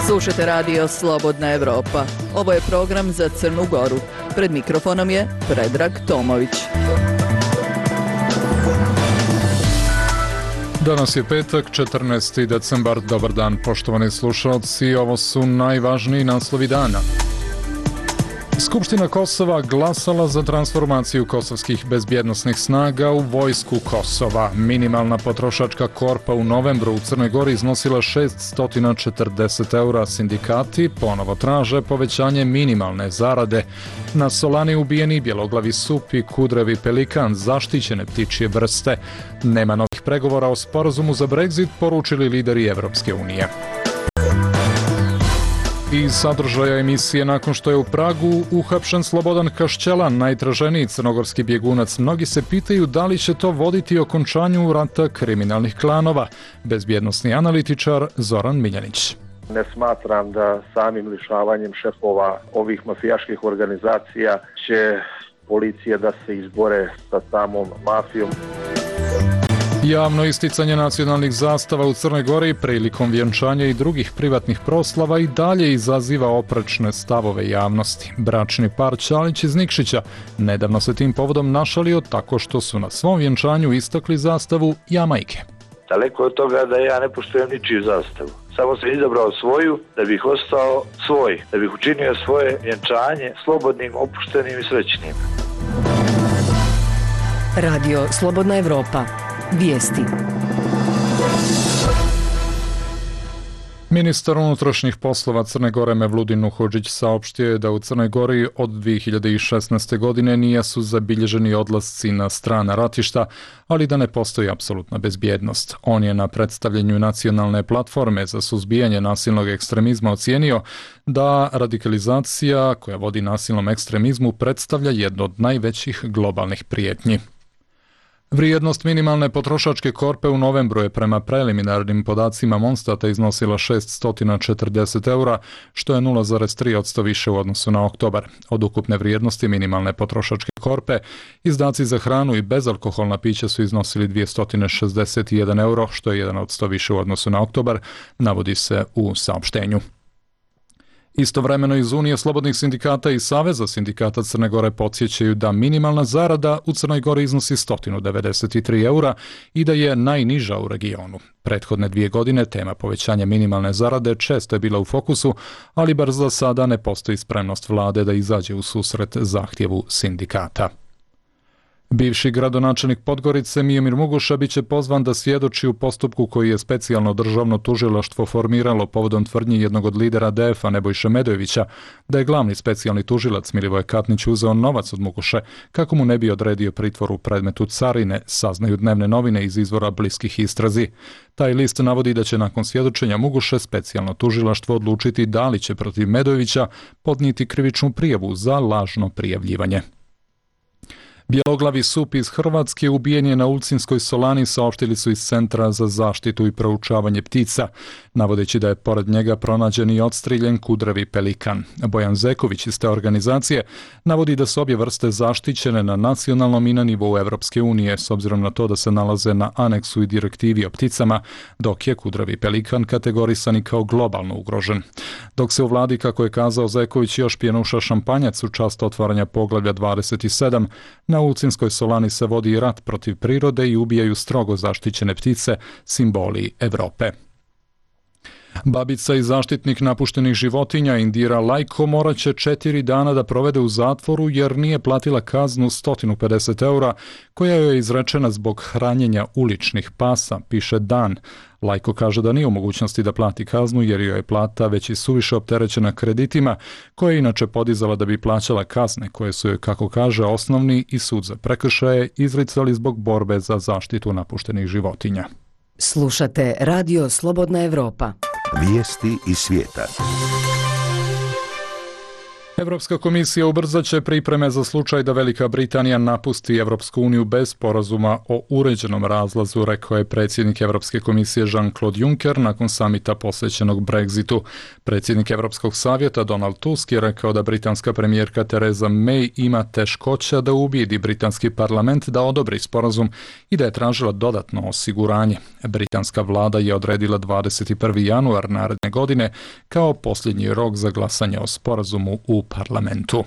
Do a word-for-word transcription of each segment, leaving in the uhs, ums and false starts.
Slušate radio Slobodna Evropa. Ovo je program za Crnu Goru. Pred mikrofonom je Predrag Tomović. Danas je petak, četrnaesti decembar. Dobar dan, poštovani slušalci. Ovo su najvažniji naslovi dana. Skupština Kosova glasala za transformaciju kosovskih bezbjednosnih snaga u vojsku Kosova. Minimalna potrošačka korpa u novembru u Crnoj Gori iznosila šeststo četrdeset eura. Sindikati ponovo traže povećanje minimalne zarade. Na Solani ubijeni bjeloglavi sup i kudrevi pelikan, zaštićene ptičje vrste. Nema novih pregovora o sporazumu za Brexit, poručili lideri Evropske unije. Iz sadržaja emisije, nakon što je u Pragu uhapšen Slobodan Kašćelan, najtraženiji crnogorski bjegunac, mnogi se pitaju da li će to voditi okončanju rata kriminalnih klanova. Bezbjednosni analitičar Zoran Miljanić. Ne smatram da samim lišavanjem šefova ovih mafijaških organizacija će policija da se izbore sa samom mafijom. Javno isticanje nacionalnih zastava u Crnoj Gori prilikom vjenčanja i drugih privatnih proslava i dalje izaziva oprečne stavove javnosti. Bračni par Ćalić iz Nikšića nedavno se tim povodom našalio tako što su na svom vjenčanju istakli zastavu Jamajke. Daleko od toga da ja ne poštujem ničiju zastavu. Samo sam izabrao svoju da bih ostao svoj, da bih učinio svoje vjenčanje slobodnim, opuštenim i srećnim. Radio Slobodna Evropa. Vijesti. Ministar unutrašnjih poslova Crne Gore Mevludin Nuhodžić saopštio je da u Crnoj Gori od dvije hiljade šesnaeste. godine nisu zabilježeni odlasci na strana ratišta, ali da ne postoji apsolutna bezbjednost. On je na predstavljanju nacionalne platforme za suzbijanje nasilnog ekstremizma ocijenio da radikalizacija koja vodi nasilnom ekstremizmu predstavlja jednu od najvećih globalnih prijetnji. Vrijednost minimalne potrošačke korpe u novembru je prema preliminarnim podacima Monstata iznosila šeststo četrdeset eura, što je nula zarez tri posto više u odnosu na oktobar. Od ukupne vrijednosti minimalne potrošačke korpe, izdaci za hranu i bezalkoholna pića su iznosili dvjesto šezdeset jedan euro, što je jedan posto više u odnosu na oktobar, navodi se u saopštenju. Istovremeno iz Unije slobodnih sindikata i Saveza sindikata Crne Gore podsjećaju da minimalna zarada u Crnoj Gori iznosi sto devedeset tri eura i da je najniža u regionu. Prethodne dvije godine tema povećanja minimalne zarade često je bila u fokusu, ali bar za sada ne postoji spremnost vlade da izađe u susret zahtjevu sindikata. Bivši gradonačelnik Podgorice Miomir Muguša biće pozvan da svjedoči u postupku koji je specijalno državno tužilaštvo formiralo povodom tvrdnji jednog od lidera D F-a Nebojše Medojevića da je glavni specijalni tužilac Milivoje Katnić uzeo novac od Muguše kako mu ne bi odredio pritvor u predmetu carine, saznaju dnevne novine iz izvora bliskih istrazi. Taj list navodi da će nakon svjedočenja Muguše specijalno tužilaštvo odlučiti da li će protiv Medojevića podnijeti krivičnu prijavu za lažno prijavljivanje. Bjeloglavi sup iz Hrvatske ubijen je na Ulcinskoj Solani, saopštili su iz Centra za zaštitu i proučavanje ptica, navodeći da je pored njega pronađen i odstriljen kudrevi pelikan. Bojan Zeković iz te organizacije navodi da su obje vrste zaštićene na nacionalnom i na nivou Evropske unije, s obzirom na to da se nalaze na aneksu i direktivi o pticama, dok je kudrevi pelikan kategorisan i kao globalno ugrožen. Dok se u vladi, kako je kazao Zeković, još pjenuša šampanjac u čast otvaranja poglavlja dvadeset sedam, na Ulcinskoj Solani se vodi rat protiv prirode i ubijaju strogo zaštićene ptice, simboli Evrope. Babica i zaštitnik napuštenih životinja Indira Lajko morat će četiri dana da provede u zatvoru jer nije platila kaznu sto pedeset eura koja joj je izrečena zbog hranjenja uličnih pasa, piše Dan. Lajko kaže da nije u mogućnosti da plati kaznu jer joj je plata već i suviše opterećena kreditima koje je inače podizala da bi plaćala kazne koje su joj, kako kaže, osnovni i sud za prekršaje izricali zbog borbe za zaštitu napuštenih životinja. Slušate Radio Slobodna Evropa. Vijesti iz svijeta. Europska komisija ubrzat će pripreme za slučaj da Velika Britanija napusti Europsku uniju bez sporazuma o uređenom razlazu, rekao je predsjednik Europske komisije Jean-Claude Juncker nakon samita posvećenog Brexitu. Predsjednik Europskog savjeta Donald Tusk je rekao da britanska premijerka Theresa May ima teškoća da ubijedi britanski parlament da odobri sporazum i da je tražila dodatno osiguranje. Britanska vlada je odredila dvadeset prvi januar naredne godine kao posljednji rok za glasanje o sporazumu u parlamentu.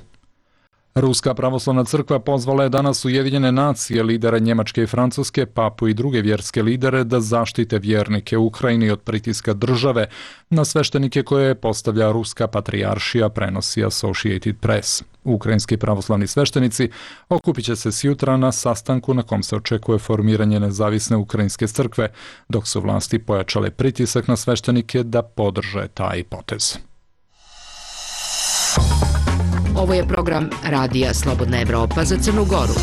Ruska pravoslavna crkva pozvala je danas Ujedinjene nacije, lidere Njemačke i Francuske, papu i druge vjerske lidere da zaštite vjernike u Ukrajini od pritiska države na sveštenike koje postavlja Ruska patrijaršija, prenosi Associated Press. Ukrajinski pravoslavni sveštenici okupit će se sjutra na sastanku na kom se očekuje formiranje nezavisne ukrajinske crkve, dok su vlasti pojačale pritisak na sveštenike da podrže taj potez. Ovo je program Radija Slobodna Evropa za Crnu Goru.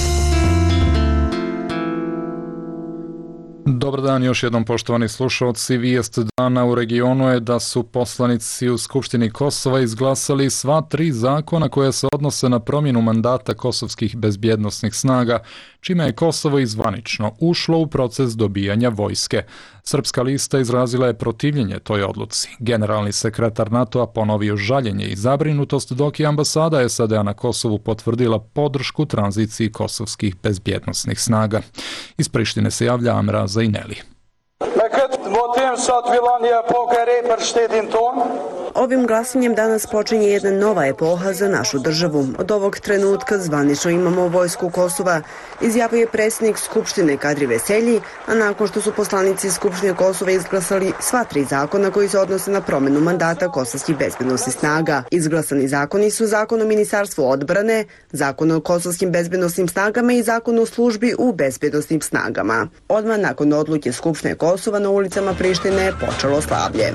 Dobar dan još jednom, poštovani slušalci. Vijest dana u regionu je da su poslanici u Skupštini Kosova izglasali sva tri zakona koja se odnose na promjenu mandata kosovskih bezbjednosnih snaga, čime je Kosovo izvanično ušlo u proces dobijanja vojske. Srpska lista izrazila je protivljenje toj odluci. Generalni sekretar NATO-a ponovio žaljenje i zabrinutost, dok je ambasada S A D-a na Kosovu potvrdila podršku tranziciji kosovskih bezbjednosnih snaga. Iz Prištine se javlja Amra Zaineli. Ovim glasanjem danas počinje jedna nova epoha za našu državu. Od ovog trenutka zvanično imamo vojsku Kosova, izjavio je predsjednik Skupštine Kadri Veselji, a nakon što su poslanici Skupštine Kosova izglasali sva tri zakona koji se odnose na promjenu mandata kosovskih bezbednosnih snaga. Izglasani zakoni su Zakon o Ministarstvu odbrane, Zakon o kosovskim bezbednosnim snagama i Zakon o službi u bezbednosnim snagama. Odmah nakon odluke Skupštine Kosova na ulicama Prištine je počelo slavlje.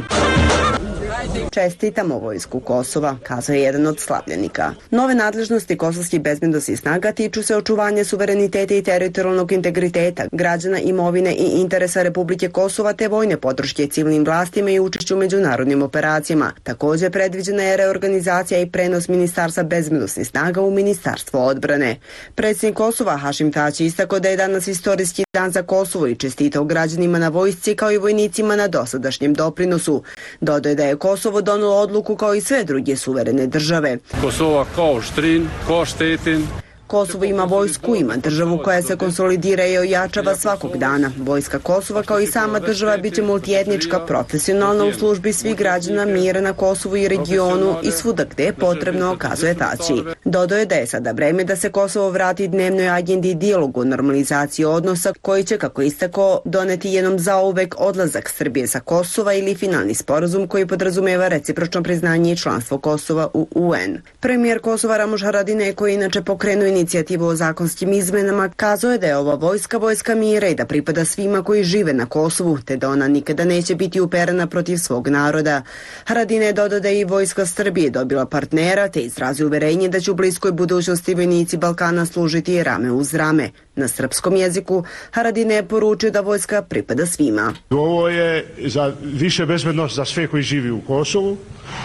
Čestitamo vojsku Kosova, kazao je jedan od slavljenika. Nove nadležnosti kosovskih bezbednosnih snaga tiču se očuvanja suvereniteta i teritorijalnog integriteta, građana, imovine i interesa Republike Kosova te vojne podrške civilnim vlastima i učešću u međunarodnim operacijama. Također predviđena je reorganizacija i prenos Ministarstva bezbednosnih snaga u Ministarstvo odbrane. Predsjednik Kosova Hašim Tači istakao da je danas istorijski dan za Kosovo i čestitao građanima na vojsci kao i vojnicima na dosadašnjem doprinosu. Dodaje da je Kosovo donelo odluku kao i sve druge suverene države. Kosova kao štrin, kao štetin. Kosovo ima vojsku, ima državu koja se konsolidira i ojačava svakog dana. Vojska Kosova kao i sama država biće multietnička, profesionalna u službi svih građana, mira na Kosovu i regionu i svuda gde je potrebno, kazuje Tači. Dodao je da je sada vreme da se Kosovo vrati dnevnoj agendi i dijalogu o normalizaciji odnosa koji će, kako istako, doneti jednom zauvek odlazak Srbije sa Kosova ili finalni sporazum koji podrazumeva recipročno priznanje i članstvo Kosova u U N. Premijer Kosova Ramuš Haradinaj, koji je inače pokrenuo inicijativu o zakonskim izmenama, kazao je da je ova vojska vojska mira i da pripada svima koji žive na Kosovu, te da ona nikada neće biti uperena protiv svog naroda. Haradinaj je dodao da je i vojska Srbije dobila partnera, te izrazio uverenje da će u bliskoj budućnosti vojnici Balkana služiti rame uz rame. Na srpskom jeziku Haradinaj je poručio da vojska pripada svima. Ovo je za više bezbednost za sve koji živi u Kosovu.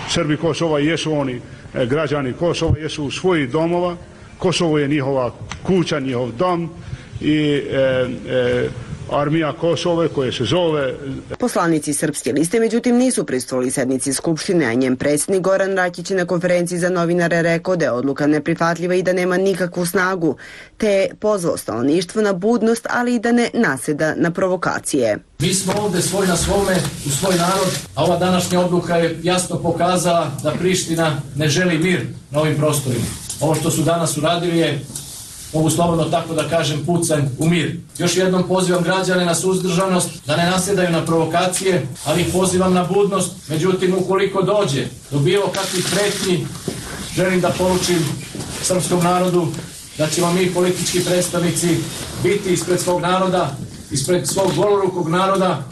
Srbi Kosova jesu oni građani Kosova, jesu u svojih domova. Kosovo je njihova kuća, njihov dom i e, e, armija Kosove koje se zove... Poslanici Srpske liste međutim nisu prisustvovali sednici Skupštine, a njen predsjednik Goran Rakić na konferenciji za novinare rekao da je odluka neprihvatljiva i da nema nikakvu snagu, te je pozvao stanovništvo na budnost, ali i da ne naseda na provokacije. Mi smo ovdje svoj na svome, u svoj narod, a ova današnja odluka je jasno pokazala da Priština ne želi mir na ovim prostorima. Ovo što su danas uradili je, mogu slobodno tako da kažem, pucanj u mir. Još jednom pozivam građane na suzdržanost, da ne nasjedaju na provokacije, ali ih pozivam na budnost. Međutim, ukoliko dođe do bilo kakvih pretnji, želim da poručim srpskom narodu da ćemo mi politički predstavnici biti ispred svog naroda, ispred svog golorukog naroda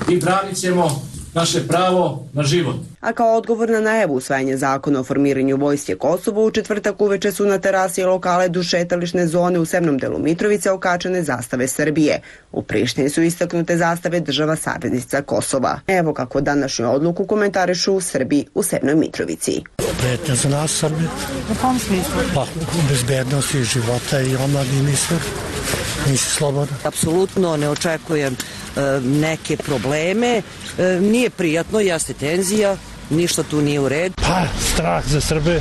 i branit ćemo naše pravo na život. A kao odgovor na najavu usvajanja zakona o formiranju vojske Kosova, u četvrtak uveče su na terasi lokale duž šetališne zone u severnom delu Mitrovice okačene zastave Srbije. U Prištini su istaknute zastave država saveznica Kosova. Evo kako današnju odluku komentarišu u Srbiji u severnoj Mitrovici. Pretnja za nas Srbi. U kom smislu? Pa, bezbednosti života i omladini sve. Nisi slobodan. Apsolutno ne očekujem e, neke probleme. E, nije prijatno, jeste tenzija, ništa tu nije u redu. Pa, strah za Srbe.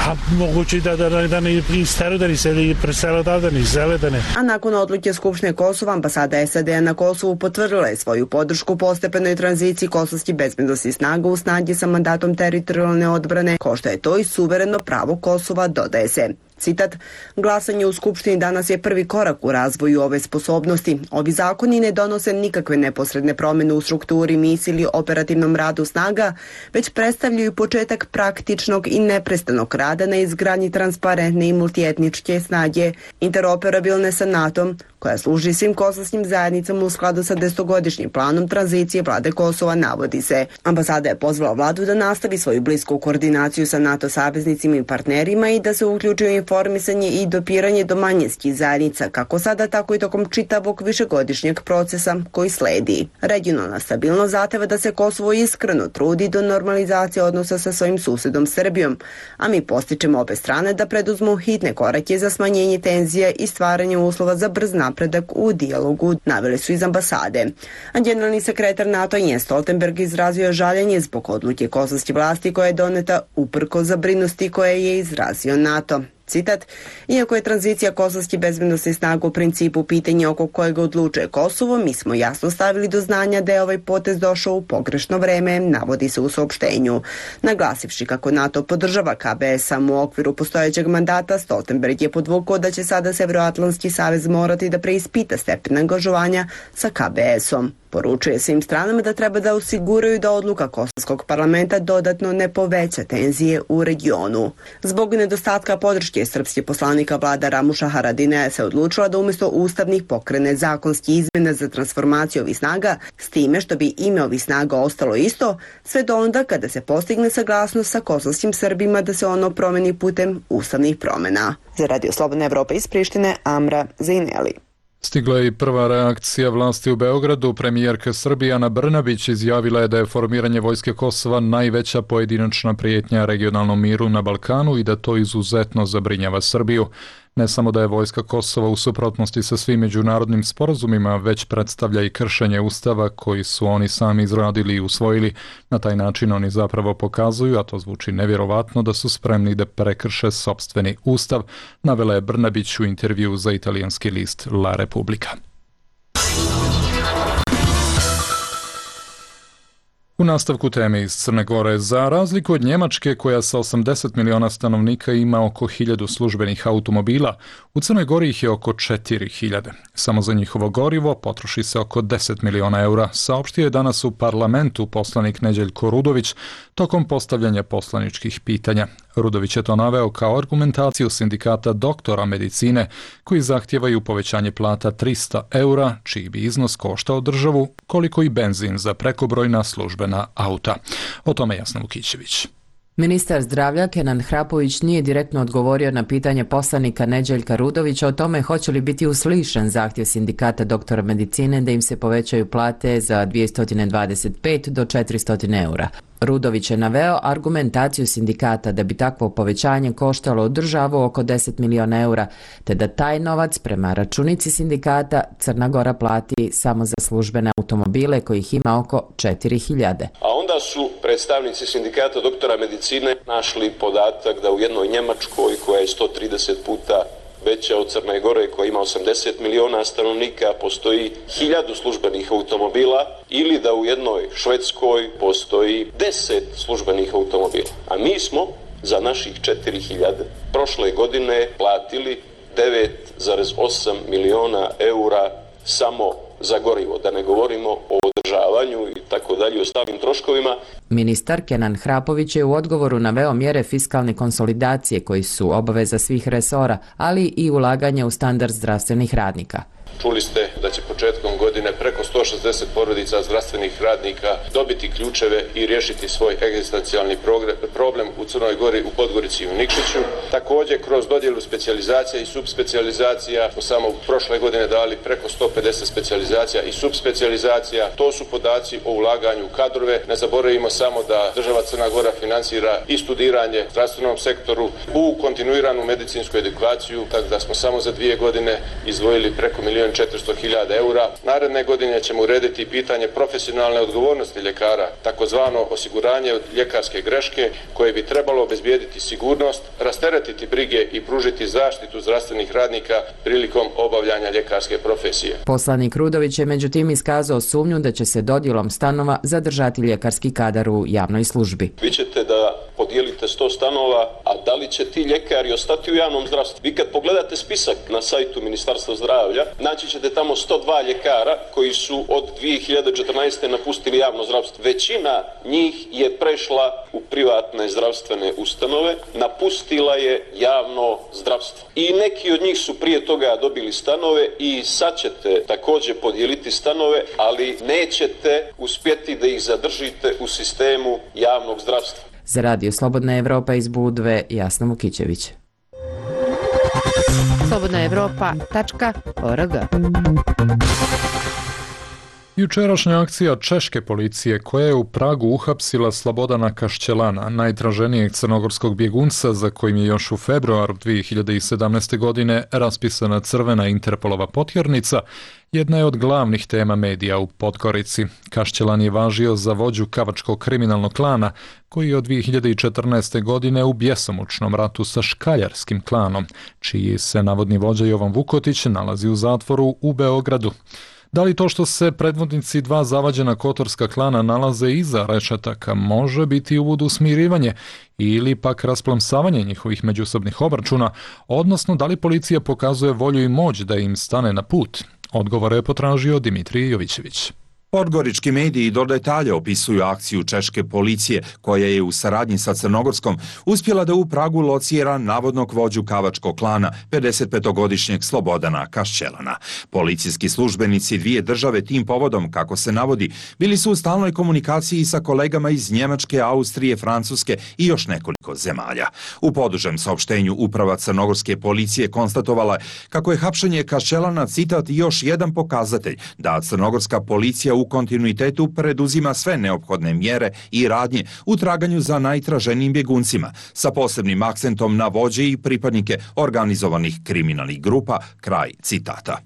A moguće da, da, da, da ne isteru, da ne se presele odavde, da ne izele, da ne. A nakon odluke Skupštine Kosova, ambasada S A D na Kosovu potvrdila je svoju podršku postepenoj tranziciji kosovskih bezbednosnih snaga u snagi sa mandatom teritorijalne odbrane, ko što je to i suvereno pravo Kosova, dodaje se. Citat, glasanje u Skupštini danas je prvi korak u razvoju ove sposobnosti. Ovi zakoni ne donose nikakve neposredne promjene u strukturi, misiji ili operativnom radu snaga, već predstavljaju početak praktičnog i neprestanog rada na izgradnji transparentne i multietničke snage, interoperabilne sa NATO-om, koja služi svim kosovskim zajednicama u skladu sa desetogodišnjim planom tranzicije vlade Kosova, navodi se. Ambasada je pozvala vladu da nastavi svoju blisku koordinaciju sa NATO saveznicima i partnerima i da se uključi u informisanje i dopiranje do manjinskih zajednica, kako sada, tako i tokom čitavog višegodišnjeg procesa koji sledi. Regionalna stabilnost zahteva da se Kosovo iskreno trudi do normalizacije odnosa sa svojim susedom Srbijom, a mi postičemo obe strane da preduzmu hitne korake za smanjenje tenzije i stvaranje uslova za brz napredak u dijalogu, naveli su iz ambasade. A generalni sekretar NATO Jens Stoltenberg izrazio žaljenje zbog odluke kosovske vlasti koja je doneta uprkos zabrinutosti koje je izrazio NATO. Citat, iako je tranzicija kosovskih bezbednosnih snaga u principu pitanje oko kojeg odlučuje Kosovo, mi smo jasno stavili do znanja da je ovaj potez došao u pogrešno vreme, navodi se u saopštenju. Naglasivši kako NATO podržava K B S samo u okviru postojećeg mandata, Stoltenberg je podvukao da će sada Severnoatlantski savez morati da preispita stepen angažovanja sa K B S-om. Poručuje svim stranama da treba da osiguraju da odluka kosovskog parlamenta dodatno ne poveća tenzije u regionu. Zbog nedostatka podrške srpski poslanika vlada Ramuša Haradinaja se odlučila da umjesto ustavnih pokrene zakonski izmjene za transformaciju ovih snaga, s time što bi ime ovih snaga ostalo isto, sve do onda kada se postigne saglasnost sa kosovskim Srbima da se ono promeni putem ustavnih promjena. Za Radio Slobodna Evropa iz Prištine, Amra Zejneli. Stigla je i prva reakcija vlasti u Beogradu. Premijerka Srbije Ana Brnabić izjavila je da je formiranje vojske Kosova najveća pojedinačna prijetnja regionalnom miru na Balkanu i da to izuzetno zabrinjava Srbiju. Ne samo da je vojska Kosova u suprotnosti sa svim međunarodnim sporazumima, već predstavlja i kršenje ustava koji su oni sami izradili i usvojili. Na taj način oni zapravo pokazuju, a to zvuči nevjerovatno, da su spremni da prekrše sopstveni ustav, navela je Brnabić u intervju za italijanski list La Repubblica. U nastavku teme iz Crne Gore, za razliku od Njemačke koja sa osamdeset miliona stanovnika ima oko hiljadu službenih automobila, u Crnoj Gori ih je oko četiri hiljade. Samo za njihovo gorivo potroši se oko deset miliona eura, saopštio je danas u parlamentu poslanik Neđeljko Rudović tokom postavljanja poslaničkih pitanja. Rudović je to naveo kao argumentaciju sindikata doktora medicine koji zahtijevaju povećanje plata trista eura, čiji bi iznos koštao državu koliko i benzin za prekobrojna službena auta. O tome Jasna Vukićević. Ministar zdravlja Kenan Hrapović nije direktno odgovorio na pitanje poslanika Neđeljka Rudovića o tome hoće li biti uslišen zahtjev sindikata doktora medicine da im se povećaju plate za dvjesto dvadeset pet do četiristo eura. Rudović je naveo argumentaciju sindikata da bi takvo povećanje koštalo državu oko deset miliona eura, te da taj novac prema računici sindikata Crna Gora plati samo za službene automobile kojih ima oko četiri hiljade. A onda su predstavnici sindikata doktora medicine našli podatak da u jednoj Njemačkoj koja je sto trideset puta veća od Crne Gore koja ima osamdeset miliona stanovnika postoji hiljadu službenih automobila ili da u jednoj Švedskoj postoji deset službenih automobila. A mi smo za naših četiri hiljade prošle godine platili devet zarez osam miliona eura samo za gorivo, da ne govorimo o održavanju i tako dalje, o ostalim troškovima. Ministar Kenan Hrapović je u odgovoru naveo mjere fiskalne konsolidacije koji su obaveza svih resora, ali i ulaganje u standard zdravstvenih radnika. Čuli ste da će početkom godine preko sto šezdeset porodica zdravstvenih radnika dobiti ključeve i riješiti svoj egzistencijalni problem u Crnoj Gori, u Podgorici i u Nikšiću. Također, kroz dodjelu specijalizacija i subspecijalizacija smo samo prošle godine dali preko sto pedeset specijalizacija i subspecijalizacija. To su podaci o ulaganju u kadrove. Ne zaboravimo samo da država Crna Gora finansira i studiranje u zdravstvenom sektoru, u kontinuiranu medicinsku edukaciju, tako da smo samo za dvije godine izdvojili preko milijun četiristo hiljada eura. Naredne godine ćemo urediti pitanje profesionalne odgovornosti ljekara, takozvano osiguranje od ljekarske greške, koje bi trebalo obezbijediti sigurnost, rasteretiti brige i pružiti zaštitu zdravstvenih radnika prilikom obavljanja ljekarske profesije. Poslanik Rudović je međutim iskazao sumnju da će se dodjelom stanova zadržati ljekarski kadar u javnoj službi. Vi ćete da podijelite sto stanova, a da li će ti ljekari ostati u javnom zdravstvu? Vi kad pogledate spisak na sajtu Ministarstva zdravlja, naći ćete tamo sto dva ljekara koji su od dvije hiljade četrnaeste. napustili javno zdravstvo. Većina njih je prešla u privatne zdravstvene ustanove, napustila je javno zdravstvo. I neki od njih su prije toga dobili stanove i sad ćete također podijeliti stanove, ali nećete uspjeti da ih zadržite u sistemu javnog zdravstva. Za Radio Slobodna Evropa iz Budve, Jasna Mukićević. slobodna evropa tačka org. Jučerašnja akcija češke policije koja je u Pragu uhapsila Slobodana Kašćelana, najtraženijeg crnogorskog bjegunca za kojim je još u februaru dvije hiljade sedamnaeste. godine raspisana crvena Interpolova potjernica, jedna je od glavnih tema medija u Podgorici. Kašćelan je važio za vođu kavačkog kriminalnog klana koji je od dvije hiljade četrnaeste. godine u bjesomučnom ratu sa škaljarskim klanom, čiji se navodni vođa Jovan Vukotić nalazi u zatvoru u Beogradu. Da li to što se predvodnici dva zavađena kotorska klana nalaze iza rešetaka može biti uvod u smirivanje ili pak rasplamsavanje njihovih međusobnih obračuna, odnosno da li policija pokazuje volju i moć da im stane na put? Odgovore je potražio Dimitrij Jovićević. Podgorički mediji do detalja opisuju akciju češke policije koja je u saradnji sa Crnogorskom uspjela da u Pragu locira navodnog vođu kavačkog klana pedesetpetogodišnjeg Slobodana Kašćelana. Policijski službenici dvije države tim povodom, kako se navodi, bili su u stalnoj komunikaciji sa kolegama iz Njemačke, Austrije, Francuske i još nekoliko zemalja. U podužem saopštenju uprava crnogorske policije konstatovala kako je hapšenje Kašćelana, citat, još jedan pokazatelj da crnogorska policija u u kontinuitetu preduzima sve neophodne mjere i radnje u traganju za najtraženijim bjeguncima, sa posebnim akcentom na vođe i pripadnike organizovanih kriminalnih grupa, kraj citata.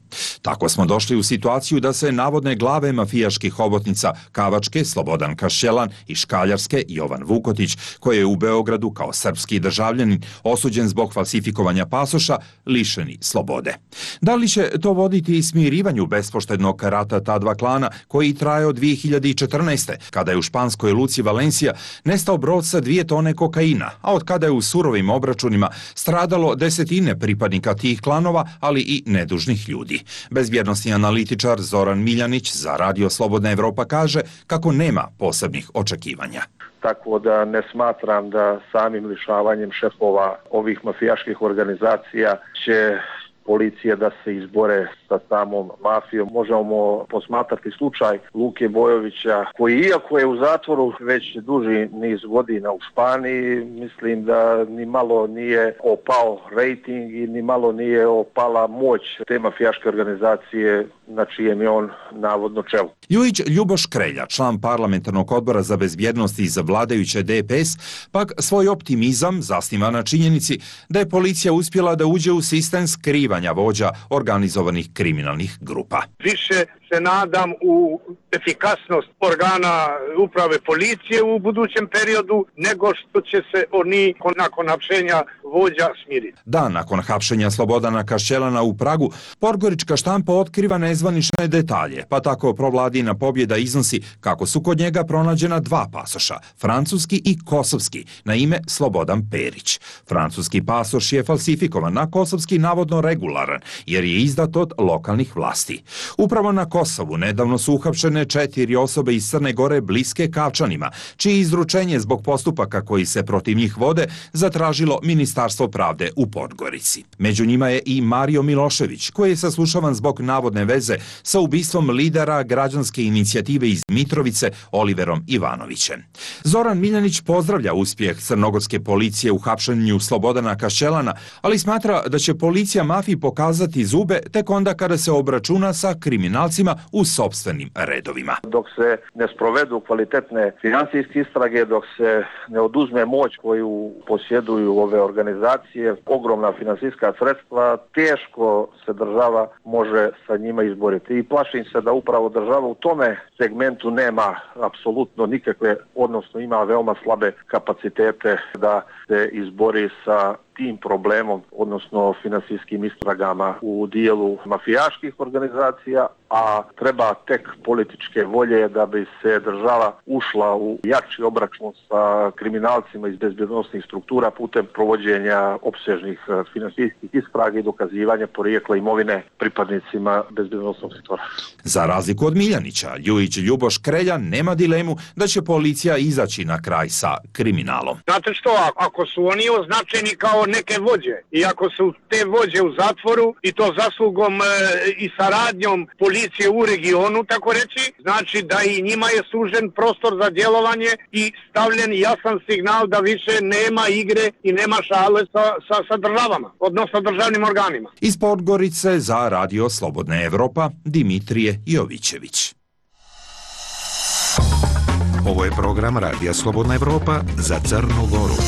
Tako smo došli u situaciju da se navodne glave mafijaških hobotnica Kavačke, Slobodan Kašćelan, i Škaljarske, Jovan Vukotić, koji je u Beogradu kao srpski državljanin osuđen zbog falsifikovanja pasoša, lišeni slobode. Da li će to voditi smirivanju bespoštednog rata ta dva klana koji traje od dvije hiljade četrnaeste. kada je u španskoj luci Valencija nestao brod sa dvije tone kokaina, a od kada je u surovim obračunima stradalo desetine pripadnika tih klanova, ali i nedužnih ljudi. Bezbjednosni analitičar Zoran Miljanić za Radio Slobodna Evropa kaže kako nema posebnih očekivanja. Tako da ne smatram da samim lišavanjem šefova ovih mafijaških organizacija će policije da se izbore sa samom mafijom. Možemo posmatrati slučaj Luke Bojovića, koji iako je u zatvoru već duži niz godina u Španiji, mislim da ni malo nije opao rejting i ni malo nije opala moć te mafijaške organizacije na čijem je on navodno čelu. Ljujić Ljuboš Krelja, član parlamentarnog odbora za bezbjednost iz vladajuće D P S, pak svoj optimizam zasniva na činjenici da je policija uspjela da uđe u sistem skrivanja vođa organizovanih kriminalnih grupa. Više se nadam u efikasnost organa uprave policije u budućem periodu nego što će se oni nakon hapšenja vođa smiriti. Dan nakon hapšenja Slobodana Kašćelana u Pragu, podgorička štampa otkriva nezvanične detalje, pa tako provladina pobjeda iznosi kako su kod njega pronađena dva pasoša, francuski i kosovski, na ime Slobodan Perić. Francuski pasoš je falsifikovan, a kosovski navodno regularan, jer je izdat od lokalnih vlasti. Upravo na Kosovu nedavno su uhapšene četiri osobe iz Crne Gore bliske Kavčanima, čije izručenje zbog postupaka koji se protiv njih vode zatražilo Ministarstvo pravde u Podgorici. Među njima je i Mario Milošević, koji je saslušavan zbog navodne veze sa ubistvom lidera građanske inicijative iz Mitrovice Oliverom Ivanovićem. Zoran Miljanić pozdravlja uspjeh crnogorske policije u hapšenju Slobodana Kašćelana, ali smatra da će policija mafiji pokazati zube tek onda kada se obračuna sa kriminalcima u sopstvenim redovima. Dok se ne sprovedu kvalitetne financijske istrage, dok se ne oduzme moć koju posjeduju ove organizacije, ogromna financijska sredstva, teško se država može sa njima izboriti. I plašim se da upravo država u tome segmentu nema apsolutno nikakve, odnosno ima veoma slabe kapacitete da se izbori sa tim problemom, odnosno finansijskim istragama u dijelu mafijaških organizacija, a treba tek političke volje da bi se država ušla u jači obračun sa kriminalcima iz bezbjednosnih struktura putem provođenja opsežnih finansijskih istraga i dokazivanja porijekla imovine pripadnicima bezbjednosnog sektora. Za razliku od Miljanića, Ljujić Ljuboš Krelja nema dilemu da će policija izaći na kraj sa kriminalom. Znate što, ako su oni označeni kao neke vođe i ako su te vođe u zatvoru i to zaslugom e, i saradnjom policije u regionu, tako reći, znači da i njima je sužen prostor za djelovanje i stavljen jasan signal da više nema igre i nema šale sa, sa, sa državama, odnosno državnim organima. Iz Podgorice za Radio Slobodna Evropa, Dimitrije Jovićević. Ovo je program Radija Slobodna Evropa za Crnu Goru.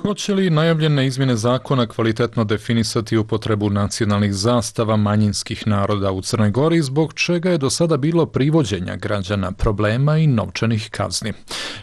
Hoće li najavljene izmjene zakona kvalitetno definisati upotrebu nacionalnih zastava manjinskih naroda u Crnoj Gori, zbog čega je do sada bilo privođenja građana, problema i novčanih kazni?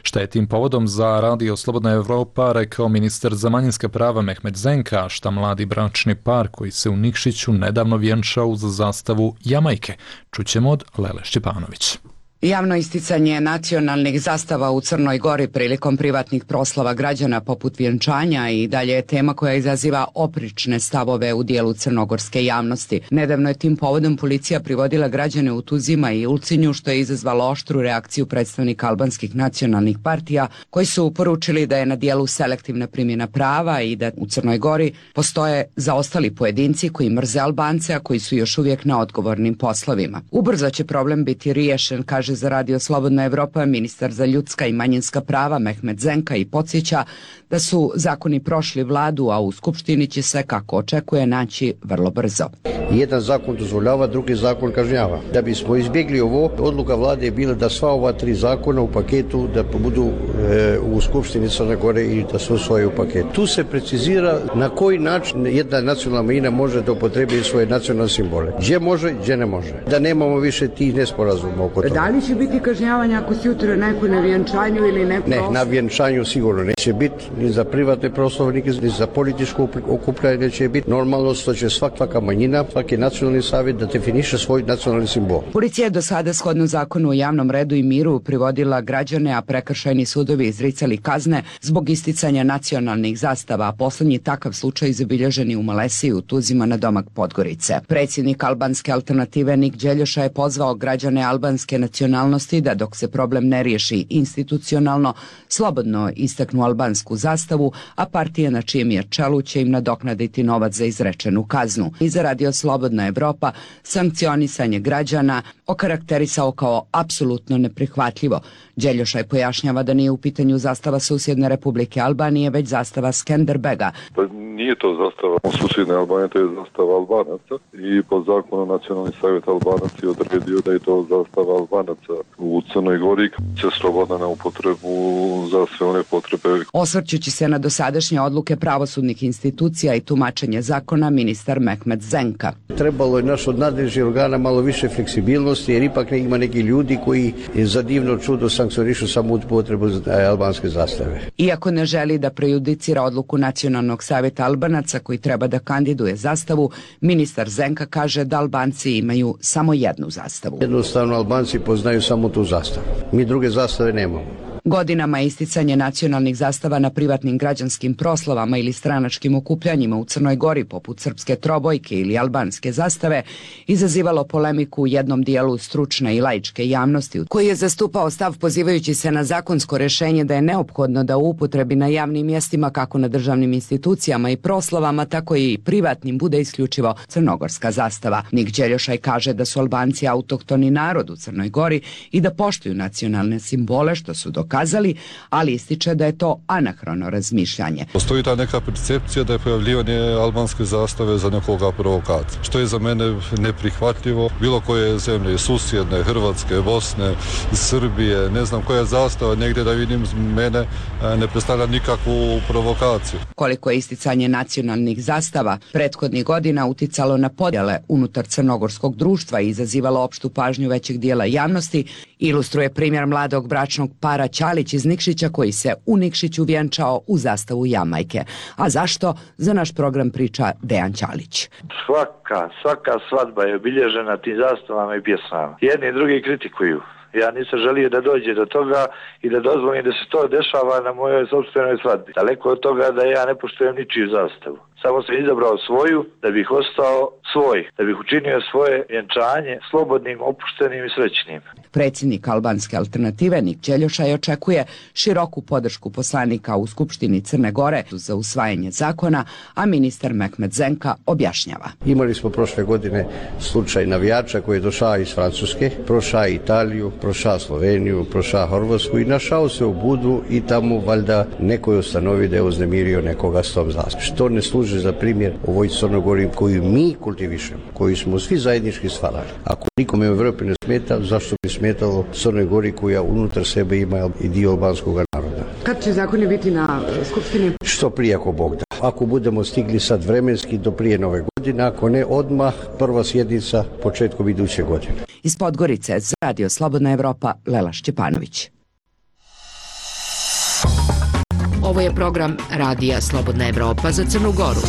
Šta je tim povodom za Radio Slobodna Evropa rekao ministar za manjinska prava Mehmet Zenka, a šta mladi bračni par koji se u Nikšiću nedavno vjenčao uz zastavu Jamajke? Čućemo od Lele Šćepanović. Javno isticanje nacionalnih zastava u Crnoj Gori prilikom privatnih proslava građana poput vjenčanja i dalje je tema koja izaziva oprične stavove u dijelu crnogorske javnosti. Nedavno je tim povodom policija privodila građane u Tuzima i Ulcinju, što je izazvalo oštru reakciju predstavnika albanskih nacionalnih partija, koji su poručili da je na dijelu selektivna primjena prava i da u Crnoj Gori postoje zaostali pojedinci koji mrze Albance, a koji su još uvijek na odgovornim poslovima. Ubrzo će problem biti riješen, kaže za Radio Slobodna Evropa ministar za ljudska i manjinska prava Mehmet Zenka i podsjeća da su zakoni prošli vladu, a u Skupštini će se, kako očekuje, naći vrlo brzo. Jedan zakon dozvoljava, drugi zakon kažnjava. Da bismo izbjegli ovo, odluka vlade je bila da sva ova tri zakona u paketu da budu e, u Skupštini Crne Gore i da se usvoje u paketu. Tu se precizira na koji način jedna nacionalna manjina može da upotrebi svoje nacionalne simbole. Gdje može, gdje ne može. Da nemamo više tih nesporazuma oko toga. Da li će biti kažnjavanja ako si jutro neko na vjenčanju ili neko? Ne, na vjenčanju sigurno neće biti, ni za privatne proslave, ni za političko okupljanje neće biti. Normalno što će svaka manjina, svaki nacionalni savjet da definiše svoj nacionalni simbol. Policija je do sada shodno zakonu o javnom redu i miru privodila građane, a prekršajni sudovi izricali kazne zbog isticanja nacionalnih zastava, a poslednji takav slučaj zabilježen je u Malesiji u Tuzima na domak Podgorice. Predsjednik albanske alternative Nik Đeljoša je pozvao građane albanske nacionalnosti da dok se problem ne riješi institucionalno, slobodno istaknu albansku zastavu, a partije na čijem je čelu će im nadoknaditi novac za izrečenu kaznu. I za Radio Slobodna Evropa sankcionisanje građana okarakterisao kao apsolutno neprihvatljivo. Đeljošaj pojašnjava da nije u pitanju zastava susjedne Republike Albanije, već zastava Skenderbega. Pa nije to zastava susjedne Albanije, to je zastava Albanaca i po zakonu Nacionalni savjet Albanaca je odredio da je to zastava Albanaca u Crnoj Gori, se slobodna na upotrebu za sve one potrebe. Osvrćući se na dosadašnje odluke pravosudnih institucija i tumačenje zakona, ministar Mehmet Zenka. Trebalo je naš od nadležnih organa malo više fleksibilnosti, jer ipak ima neki ljudi koji za divno čudo sankcionišu samo upotrebu albanske zastave. Iako ne želi da prejudicira odluku Nacionalnog savjeta Albanaca koji treba da kandiduje zastavu, ministar Zenka kaže da Albanci imaju samo jednu zastavu. Jednostavno Albanci poznaju samo tu zastavu. Mi druge zastave nemamo. Godinama isticanje nacionalnih zastava na privatnim građanskim proslavama ili stranačkim okupljanjima u Crnoj Gori poput srpske trobojke ili albanske zastave izazivalo polemiku u jednom dijelu stručne i laičke javnosti koji je zastupao stav pozivajući se na zakonsko rešenje da je neophodno da u upotrebi na javnim mjestima kako na državnim institucijama i proslavama tako i privatnim bude isključivo crnogorska zastava. Nik Đeljošaj kaže da su Albanci autohtoni narod u Crnoj Gori i da poštuju nacionalne simbole što su dokazali, ali ističe da je to anahrono razmišljanje. Postoji ta neka percepcija da je pojavljivanje albanske zastave za nekoga provokacija, što je za mene neprihvatljivo. Bilo koje zemlje, susjedne, Hrvatske, Bosne, Srbije, ne znam koja zastava, negdje da vidim mene ne predstavlja nikakvu provokaciju. Koliko je isticanje nacionalnih zastava prethodnih godina uticalo na podjele unutar crnogorskog društva i izazivalo opštu pažnju većeg dijela javnosti, ilustruje primjer mladog bračnog para Ćalić iz Nikšića koji se u Nikšiću vjenčao u zastavu Jamajke. A zašto? Za naš program priča Dejan Ćalić. Svaka, svaka svadba je obilježena tim zastavama i pjesmama. Jedni i drugi kritikuju. Ja nisam želio da dođe do toga i da dozvolim da se to dešava na mojoj sopstvenoj svadbi. Daleko od toga da ja ne poštujem ničiju zastavu. Samo sam izabrao svoju da bih ostao svoj, da bih učinio svoje vjenčanje slobodnim, opuštenim i srećnim. Predsjednik albanske alternative Nik Đeljošaj očekuje široku podršku poslanika u Skupštini Crne Gore za usvajanje zakona, a ministar Mehmet Zenka objašnjava. Imali smo prošle godine slučaj navijača koji je došao iz Francuske, prošao Italiju, prošao Sloveniju, prošao Hrvatsku i našao se u Budu i tamo valjda neko je ustanovio da je uznemirio nekoga s tom zastavom. Što ne služi za primjer ovoj Crnogori koju mi kultivišemo, koju smo svi zajednički stvarali. Ako nikome u Evropi ne smeta, zašto bi smetalo Crnoj Gori koja unutar sebe ima i dio albanskog naroda? Kad će zakoni biti na Skupštini? Što prije ako Bog da. Ako budemo stigli sad vremenski do prije nove godine, ako ne odmah, prva sjednica početkom iduće godine. Iz Podgorice za Radio Slobodna Evropa, Lela Šćepanović. Ovo je program Radija Slobodna Evropa za Crnu Goru.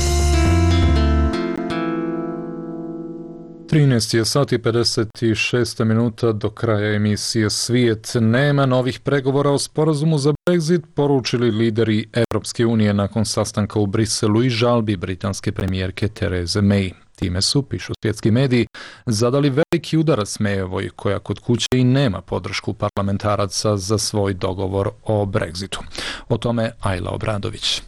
trinaest je sati pedeset šest minuta do kraja emisije Svijet. Nema novih pregovora o sporazumu za Brexit, poručili lideri Evropske unije nakon sastanka u Briselu i žalbi britanske premijerke Therese May. Time su, pišu svjetski mediji, zadali veliki udarac Mayevoj, koja kod kuće i nema podršku parlamentaraca za svoj dogovor o Brexitu. O tome Ajla Obradović.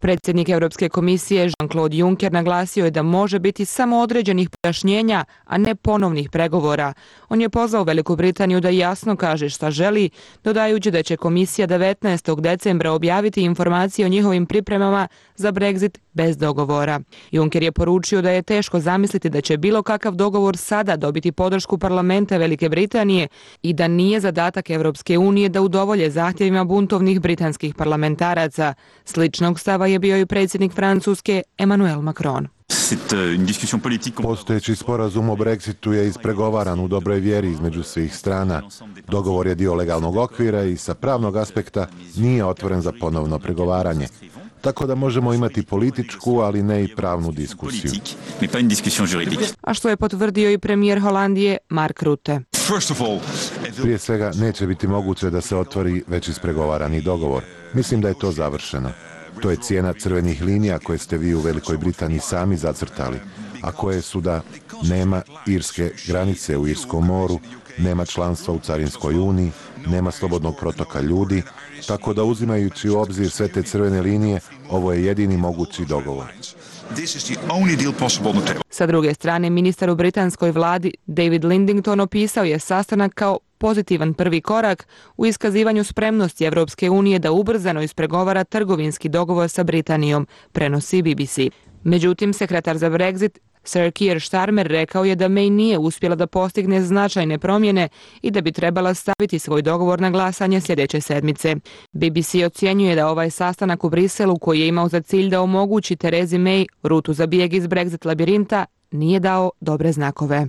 Predsjednik Europske komisije Jean-Claude Juncker naglasio je da može biti samo određenih pojašnjenja, a ne ponovnih pregovora. On je pozvao Veliku Britaniju da jasno kaže šta želi, dodajući da će komisija devetnaestog decembra objaviti informacije o njihovim pripremama za Brexit bez dogovora. Juncker je poručio da je teško zamisliti da će bilo kakav dogovor sada dobiti podršku parlamenta Velike Britanije i da nije zadatak Europske unije da udovolje zahtjevima buntovnih britanskih parlamentaraca. Sličnog stava je bio i predsjednik Francuske Emmanuel Macron. Postojeći sporazum o Brexitu je ispregovaran u dobroj vjeri između svih strana. Dogovor je dio legalnog okvira i sa pravnog aspekta nije otvoren za ponovno pregovaranje. Tako da možemo imati političku, ali ne i pravnu diskusiju. A što je potvrdio i premijer Holandije Mark Rutte. Prije svega neće biti moguće da se otvori već ispregovarani dogovor. Mislim da je to završeno. To je cijena crvenih linija koje ste vi u Velikoj Britaniji sami zacrtali, a koje su da nema irske granice u Irskom moru, nema članstva u Carinskoj uniji, nema slobodnog protoka ljudi, tako da uzimajući u obzir sve te crvene linije, ovo je jedini mogući dogovor. Sa druge strane, ministar u britanskoj vladi David Lidington opisao je sastanak kao pozitivan prvi korak u iskazivanju spremnosti Evropske unije da ubrzano ispregovara trgovinski dogovor sa Britanijom, prenosi B B C. Međutim, sekretar za Brexit Sir Keir Starmer rekao je da May nije uspjela da postigne značajne promjene i da bi trebala staviti svoj dogovor na glasanje sljedeće sedmice. B B C ocjenjuje da ovaj sastanak u Briselu, koji je imao za cilj da omogući Theresi May rutu za bijeg iz Brexit labirinta, nije dao dobre znakove.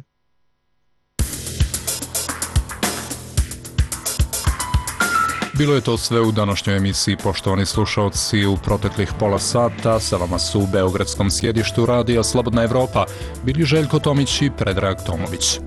Bilo je to sve u današnjoj emisiji, poštovani slušalci. U proteklih pola sata sa vama su u beogradskom sjedištu Radija Slobodna Evropa bili Željko Tomić i Predrag Tomović.